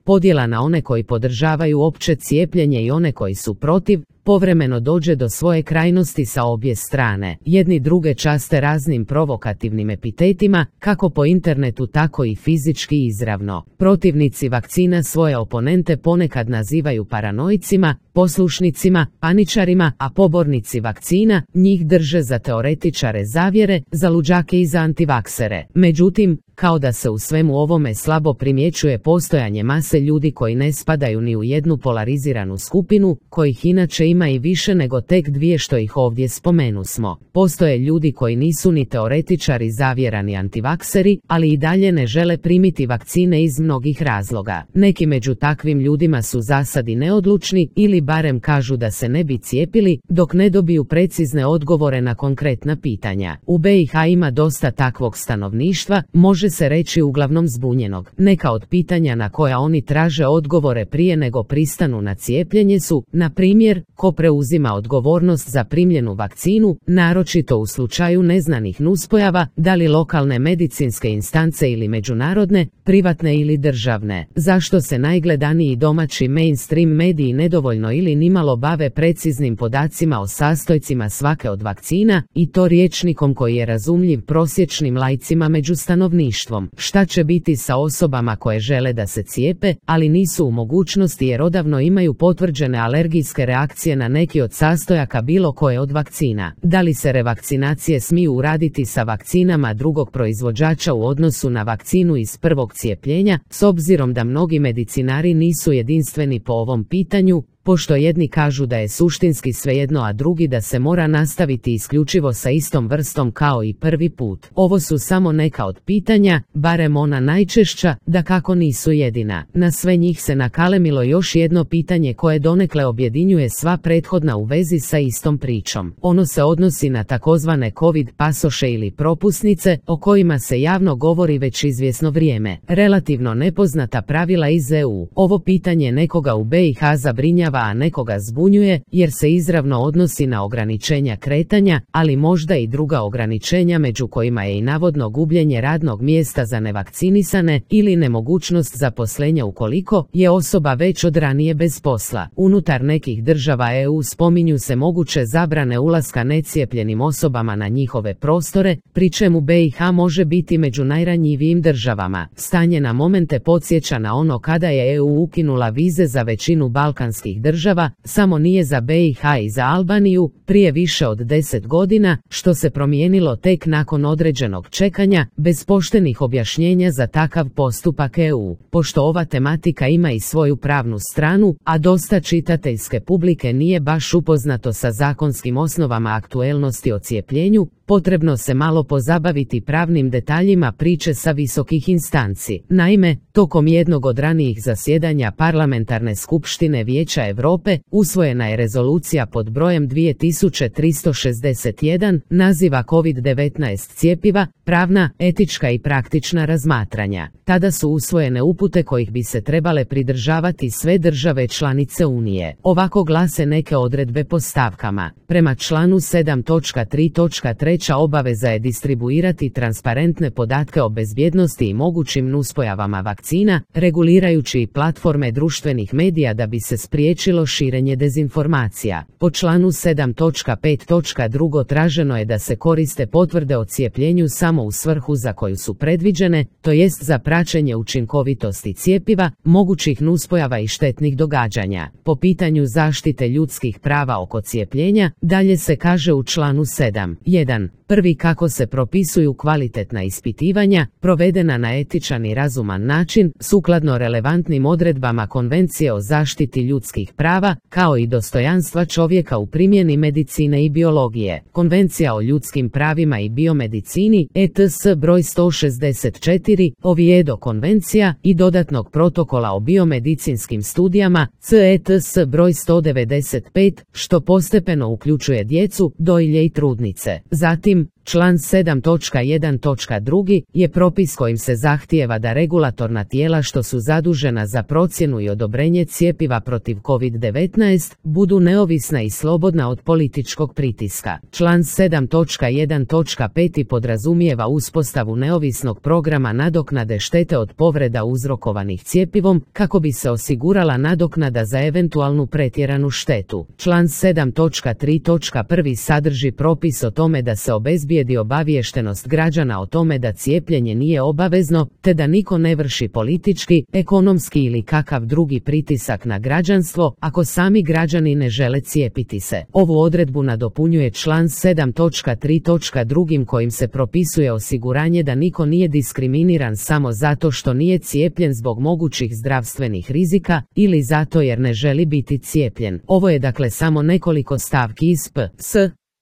podjela na one koji podržavaju opće cijepljenje i one koji su protiv, povremeno dođe do svoje krajnosti sa obje strane. Jedni druge časte raznim provokativnim epitetima, kako po internetu tako i fizički izravno. Protivnici vakcina svoje oponente ponekad nazivaju paranoicima, poslušnicima, paničarima, a pobornici vakcina njih drže za teoretičare zavjere, za luđake i za antivaksere. Međutim, kao da se u svemu ovome slabo primjećuje postojanje mase ljudi koji ne spadaju ni u jednu polariziranu skupinu, kojih inače ima i više nego tek dvije što ih ovdje spomenusmo. Postoje ljudi koji nisu ni teoretičari zavjera ni antivakseri, ali i dalje ne žele primiti vakcine iz mnogih razloga. Neki među takvim ljudima su zasadi neodlučni ili barem kažu da se ne bi cijepili, dok ne dobiju precizne odgovore na konkretna pitanja. U BiH ima dosta takvog stanovništva, može se reći uglavnom zbunjenog. Neka od pitanja na koja oni traže odgovore prije nego pristanu na cijepljenje su, na primjer, ko preuzima odgovornost za primljenu vakcinu, naročito u slučaju neznanih nuspojava, da li lokalne medicinske instance ili međunarodne, privatne ili državne. Zašto se najgledaniji domaći mainstream mediji nedovoljno ili nimalo bave preciznim podacima o sastojcima svake od vakcina, i to rječnikom koji je razumljiv prosječnim laicima među stanovništvom? Šta će biti sa osobama koje žele da se cijepe, ali nisu u mogućnosti jer odavno imaju potvrđene alergijske reakcije na neki od sastojaka bilo koje od vakcina? Da li se revakcinacije smiju uraditi sa vakcinama drugog proizvođača u odnosu na vakcinu iz prvog cijepljenja, s obzirom da mnogi medicinari nisu jedinstveni po ovom pitanju, pošto jedni kažu da je suštinski svejedno, a drugi da se mora nastaviti isključivo sa istom vrstom kao i prvi put. Ovo su samo neka od pitanja, barem ona najčešća, da kako nisu jedina. Na sve njih se nakalemilo još jedno pitanje koje donekle objedinjuje sva prethodna u vezi sa istom pričom. Ono se odnosi na takozvane COVID pasoše ili propusnice, o kojima se javno govori već izvjesno vrijeme. Relativno nepoznata pravila iz EU. Ovo pitanje nekoga u BiH zabrinjava, a nekoga zbunjuje, jer se izravno odnosi na ograničenja kretanja, ali možda i druga ograničenja, među kojima je i navodno gubljenje radnog mjesta za nevakcinisane ili nemogućnost zaposlenja ukoliko je osoba već od ranije bez posla. Unutar nekih država EU spominju se moguće zabrane ulaska necijepljenim osobama na njihove prostore, pri čemu BiH može biti među najranjivijim državama. Stanje na momente podsjeća na ono kada je EU ukinula vize za većinu balkanskih država, samo nije za BiH i za Albaniju, prije više od 10 godina, što se promijenilo tek nakon određenog čekanja, bez poštenih objašnjenja za takav postupak EU. Pošto ova tematika ima i svoju pravnu stranu, a dosta čitateljske publike nije baš upoznato sa zakonskim osnovama aktuelnosti o cijepljenju, potrebno se malo pozabaviti pravnim detaljima priče sa visokih instanci. Naime, tokom jednog od ranijih zasjedanja Parlamentarne skupštine Vijeća Europe usvojena je rezolucija pod brojem 2361, naziva COVID-19 cjepiva, pravna, etička i praktična razmatranja. Tada su usvojene upute kojih bi se trebale pridržavati sve države članice Unije. Ovako glase neke odredbe po stavkama. Prema članu 7.3.3 obaveza je distribuirati transparentne podatke o bezbjednosti i mogućim nuspojavama vakcina, regulirajući i platforme društvenih medija da bi se spriječilo širenje dezinformacija. Po članu 7.5.2 traženo je da se koriste potvrde o cijepljenju samo u svrhu za koju su predviđene, to jest za praćenje učinkovitosti cjepiva, mogućih nuspojava i štetnih događanja. Po pitanju zaštite ljudskih prava oko cijepljenja, dalje se kaže u članu 7.1. Prvi, kako se propisuju kvalitetna ispitivanja, provedena na etičan i razuman način, sukladno relevantnim odredbama Konvencije o zaštiti ljudskih prava, kao i dostojanstva čovjeka u primjeni medicine i biologije. Konvencija o ljudskim pravima i biomedicini, ETS broj 164, Oviedo konvencija i dodatnog protokola o biomedicinskim studijama, CETS broj 195, što postepeno uključuje djecu, dojilje i trudnice. Zatim, Član 7.1.2 je propis kojim se zahtijeva da regulatorna tijela što su zadužena za procjenu i odobrenje cjepiva protiv COVID-19 budu neovisna i slobodna od političkog pritiska. Član 7.1.5 podrazumijeva uspostavu neovisnog programa nadoknade štete od povreda uzrokovanih cjepivom kako bi se osigurala nadoknada za eventualnu pretjeranu štetu. Član 7.3.1 sadrži propis o tome da se obezbijedi obaviještenost građana o tome da cijepljenje nije obavezno, te da niko ne vrši politički, ekonomski ili kakav drugi pritisak na građanstvo ako sami građani ne žele cijepiti se. Ovu odredbu nadopunjuje član 7.3.2 kojim se propisuje osiguranje da niko nije diskriminiran samo zato što nije cijepljen zbog mogućih zdravstvenih rizika ili zato jer ne želi biti cijepljen. Ovo je dakle samo nekoliko stavki iz PS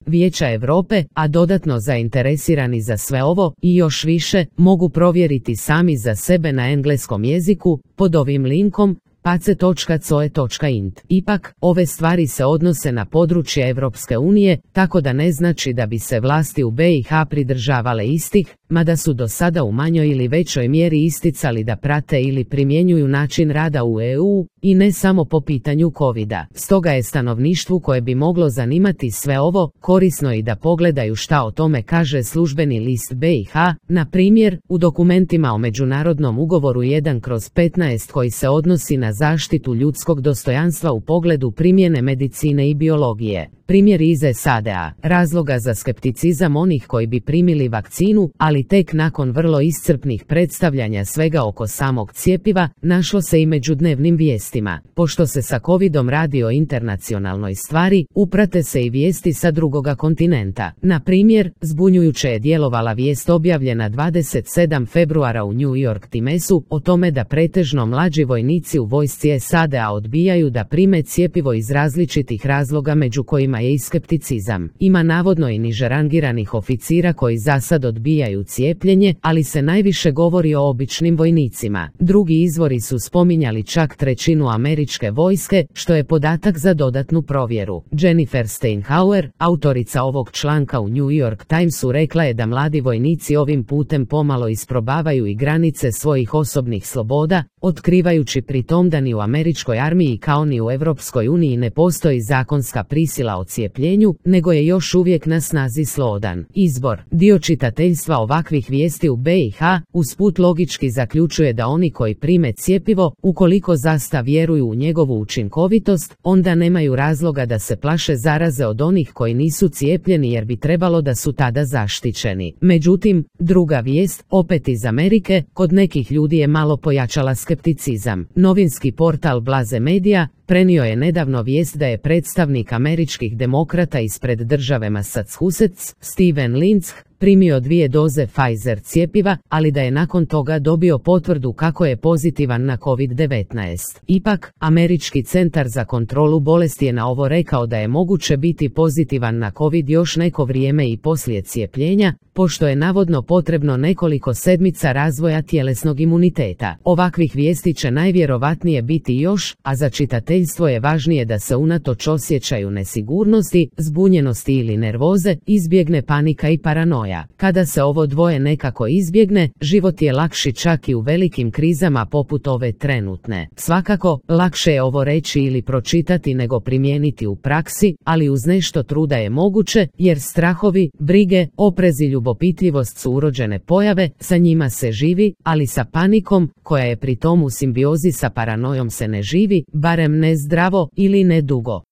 Vijeća Europe, a dodatno zainteresirani za sve ovo i još više mogu provjeriti sami za sebe na engleskom jeziku pod ovim linkom pace.coe.int. Ipak, ove stvari se odnose na područje Europske unije, tako da ne znači da bi se vlasti u BiH pridržavale istih, mada su do sada u manjoj ili većoj mjeri isticali da prate ili primjenjuju način rada u EU, i ne samo po pitanju covida. Stoga je stanovništvu koje bi moglo zanimati sve ovo, korisno i da pogledaju šta o tome kaže službeni list BiH, na primjer, u dokumentima o međunarodnom ugovoru 1/15 koji se odnosi na zaštitu ljudskog dostojanstva u pogledu primjene medicine i biologije. Primjer iz SAD-a, razloga za skepticizam onih koji bi primili vakcinu, ali tek nakon vrlo iscrpnih predstavljanja svega oko samog cjepiva, našlo se i među dnevnim vijestima. Pošto se sa covidom radi o internacionalnoj stvari, uprate se i vijesti sa drugoga kontinenta. Na primjer, zbunjujuće je djelovala vijest objavljena 27. februara u New York Timesu o tome da pretežno mlađi vojnici u vojsci SAD-a odbijaju da prime cjepivo iz različitih razloga među kojima je i skepticizam. Ima navodno i niže rangiranih oficira koji za sad odbijaju cijepljenje, ali se najviše govori o običnim vojnicima. Drugi izvori su spominjali čak trećinu američke vojske, što je podatak za dodatnu provjeru. Jennifer Steinhauer, autorica ovog članka u New York Timesu, rekla je da mladi vojnici ovim putem pomalo isprobavaju i granice svojih osobnih sloboda, otkrivajući pri tom da ni u američkoj armiji kao ni u Europskoj uniji ne postoji zakonska prisila o cijepljenju, nego je još uvijek na snazi slobodan izbor. Dio čitateljstva ovakvih vijesti u BiH usput logički zaključuje da oni koji prime cjepivo, ukoliko zaista vjeruju u njegovu učinkovitost, onda nemaju razloga da se plaše zaraze od onih koji nisu cijepljeni jer bi trebalo da su tada zaštićeni. Međutim, druga vijest, opet iz Amerike, kod nekih ljudi je malo pojačala skepticizam. Novinski portal Blaze Media prenio je nedavno vijest da je predstavnik američkih demokrata ispred države Massachusetts, Steven Lindsay, primio 2 doze Pfizer cjepiva, ali da je nakon toga dobio potvrdu kako je pozitivan na COVID-19. Ipak, Američki centar za kontrolu bolesti je na ovo rekao da je moguće biti pozitivan na COVID još neko vrijeme i poslije cijepljenja, pošto je navodno potrebno nekoliko sedmica razvoja tjelesnog imuniteta. Ovakvih vijesti će najvjerovatnije biti još, a za čitateljstvo je važnije da se unatoč osjećaju nesigurnosti, zbunjenosti ili nervoze, izbjegne panika i paranoja. Kada se ovo dvoje nekako izbjegne, život je lakši čak i u velikim krizama poput ove trenutne. Svakako, lakše je ovo reći ili pročitati nego primijeniti u praksi, ali uz nešto truda je moguće, jer strahovi, brige, oprez i ljubopitljivost su urođene pojave, sa njima se živi, ali sa panikom, koja je pri tom u simbiozi sa paranojom, se ne živi, barem ne zdravo ili ne dugo.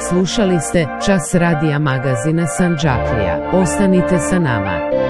Slušali ste Čas radija magazina Sandžaklija. Ostanite sa nama.